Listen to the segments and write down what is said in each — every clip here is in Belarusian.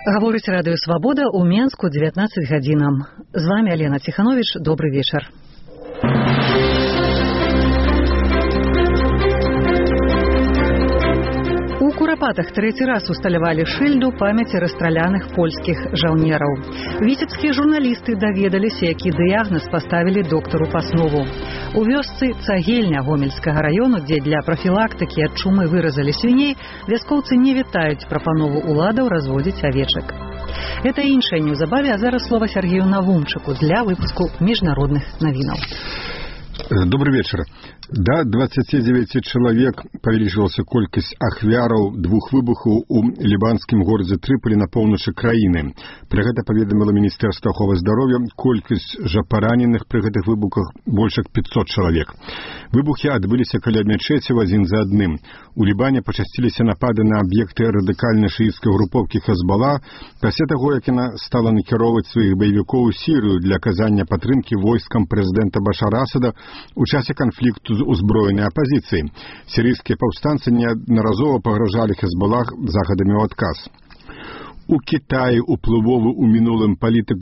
Гаворыць радыё «Свабода» ў Менску 19 гадзінам. З вами Алена Ціхановіч. Добрый вечар. У Курапатах трэці раз усталявалі шыльду памяці расстраляных польскіх жаўнераў. Віцебскія журналісты даведаліся, які дыягназ паставілі доктару Паснову. У вёсцы Цагельня Гомельскага раёну, дзе для прафілактыкі ад чумы выразалі свіней, вяскоўцы не вітаюць прапанову уладаў разводзіць авечак. Это іншае неўзабаве, а зараз слова Сергею Навумчыку для выпуску міжнародных навінаў. Добрый вечер. До 29 человек павялічылася колькасць ахвяраў двух выбухаў у лібанскім горадзе Трыполі на поўначы краіны. Пра гэта паведаміла Міністэрства аховы здароўя. Колькасць жа параненых пры гэтых выбухах больш як 500 чалавек. Выбухі адбыліся каля мячэцяў адзін за адным. У Лібане пачасціліся напады на аб'екты радыкальнай шыіцкай групоўкі Хезбалла пасля таго, як яна стала накіроўваць сваіх баевікоў у Сірыю для аказання падтрымкі войскам прэзідэнта Башара Асада у часе канфлікту з узброенай апазіцыяй. Сірыйскія паўстанцы неаднаразова пагражалі Хезбаллах захадамі ў адказ. У Кітаі уплывовы ў мінулым палітык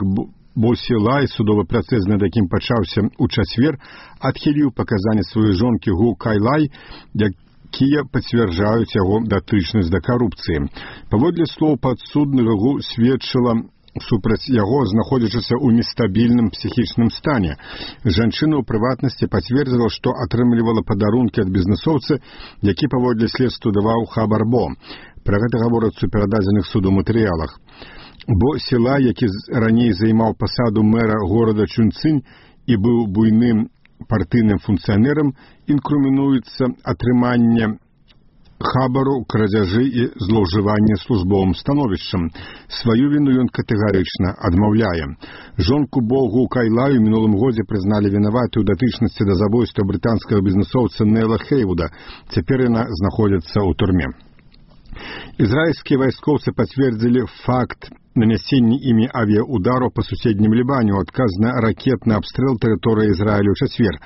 Бо Сілай, судовы працэс, над якім пачаўся ў чацвер, адхіліў паказанні сваёй жонкі Гу Кайлай, якія пацвярджаюць яго датычнасць да карупцыі. Паводле слоў падсуднага, Гу сведчыла супраць яго, знаходзячыся ў нестабільным псіхічным стане. Жанчына ў прыватнасці пацвердзіла, што атрымлівала падарункі ад бізнэсоўцы, які паводле следства даваў хабар Бо. Пра гэта гаворыцца ў перададзеных суду матэрыялах. Бо Сілай, які раней займаў пасаду мэра горада Чунцынь і быў буйным партыйным функцыянерам, інкрымінуецца атрыманне хабару, крадзяжы і злоўжывання службовым становішчам. Сваю віну ён катэгарычна адмаўляе. Жонку Богу Кайлаю мінулым годзе прызналі вінаватай у датычнасці да забойства брытанскага бізнэсоўца Нейла Хейвуда. Цяпер яна знаходзіцца ў турме. Ізраільскія вайскоўцы пацвердзілі факт нанясення імі авіаудару па суседнім Лібане ў адказ на ракетны абстрэл тэрыторыі Ізраілю ў чацвер.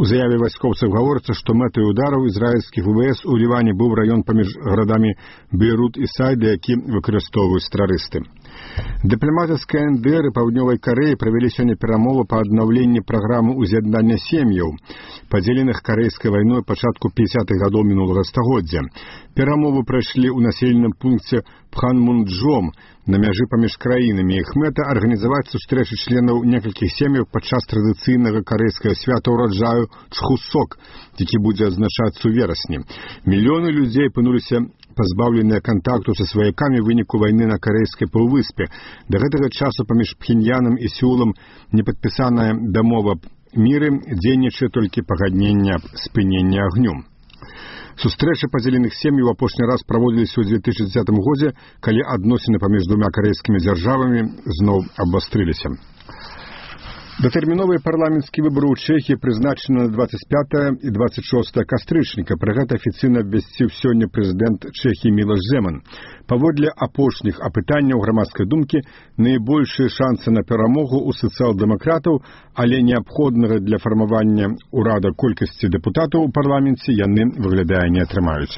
У заяве вайскоўцаў гаворыцца, што мэтай удараў ізраільскіх ВВС у Ліване быў раён паміж гарадамі Бейрут і Сайда, які выкарыстоўваюць тэрарысты. Дыпламаты з КНДР і Паўднёвай Карэі правялі сёння перамовы па аднаўленні праграмы ўз'яднання сем'яў, падзеленых карэйскай вайной пачатку 50-х гадоў мінулага стагоддзя. Перамовы прайшлі ў населеным пункце Пханмунджом на мяжы паміж краінамі. Іх мэта — арганізаваць сустрэчы членаў некалькіх сем'яў падчас традыцыйнага карэйскага свята ўраджаю Чхусок, які будзе адзначацца ў верасні. Мільёны людзей апынуліся пазбаўленыя кантакту са сваякамі ў выніку вайны на карэйскай паўвыспе. Да гэтага часу паміж Пхеньянам і Сеулам не падпісаная дамова міры, дзейнічае толькі пагадненне аб спыненні агню. Сустрэчы падзеленых сем'яў апошні раз праводзіліся ў 2010 годзе, калі адносіны паміж двума карэйскімі дзяржавамі зноў абвастрыліся. Датэрміновыя парламенцкія выбары ў Чэхіі прызначаны на 25 і 26 кастрычніка. Пра гэта афіцыйна абвясціў сёння прэзідэнт Чэхіі Мілош Земан. Паводле апошніх апытанняў грамадскай думкі, найбольшыя шансы на перамогу ў сацыял-дэмакратаў, але неабходнага для фармавання ўрада колькасці дэпутатаў у парламенце яны, выглядае, не атрымаюць.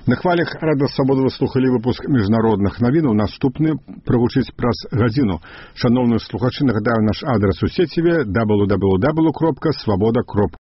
На хвалях радыё «Свабода» вы слухалі выпуск міжнародных навінаў. Наступны прагучыць праз гадзіну. Шаноўныя слухачы, нагадаю наш адрас у сеціве www.swaboda.org.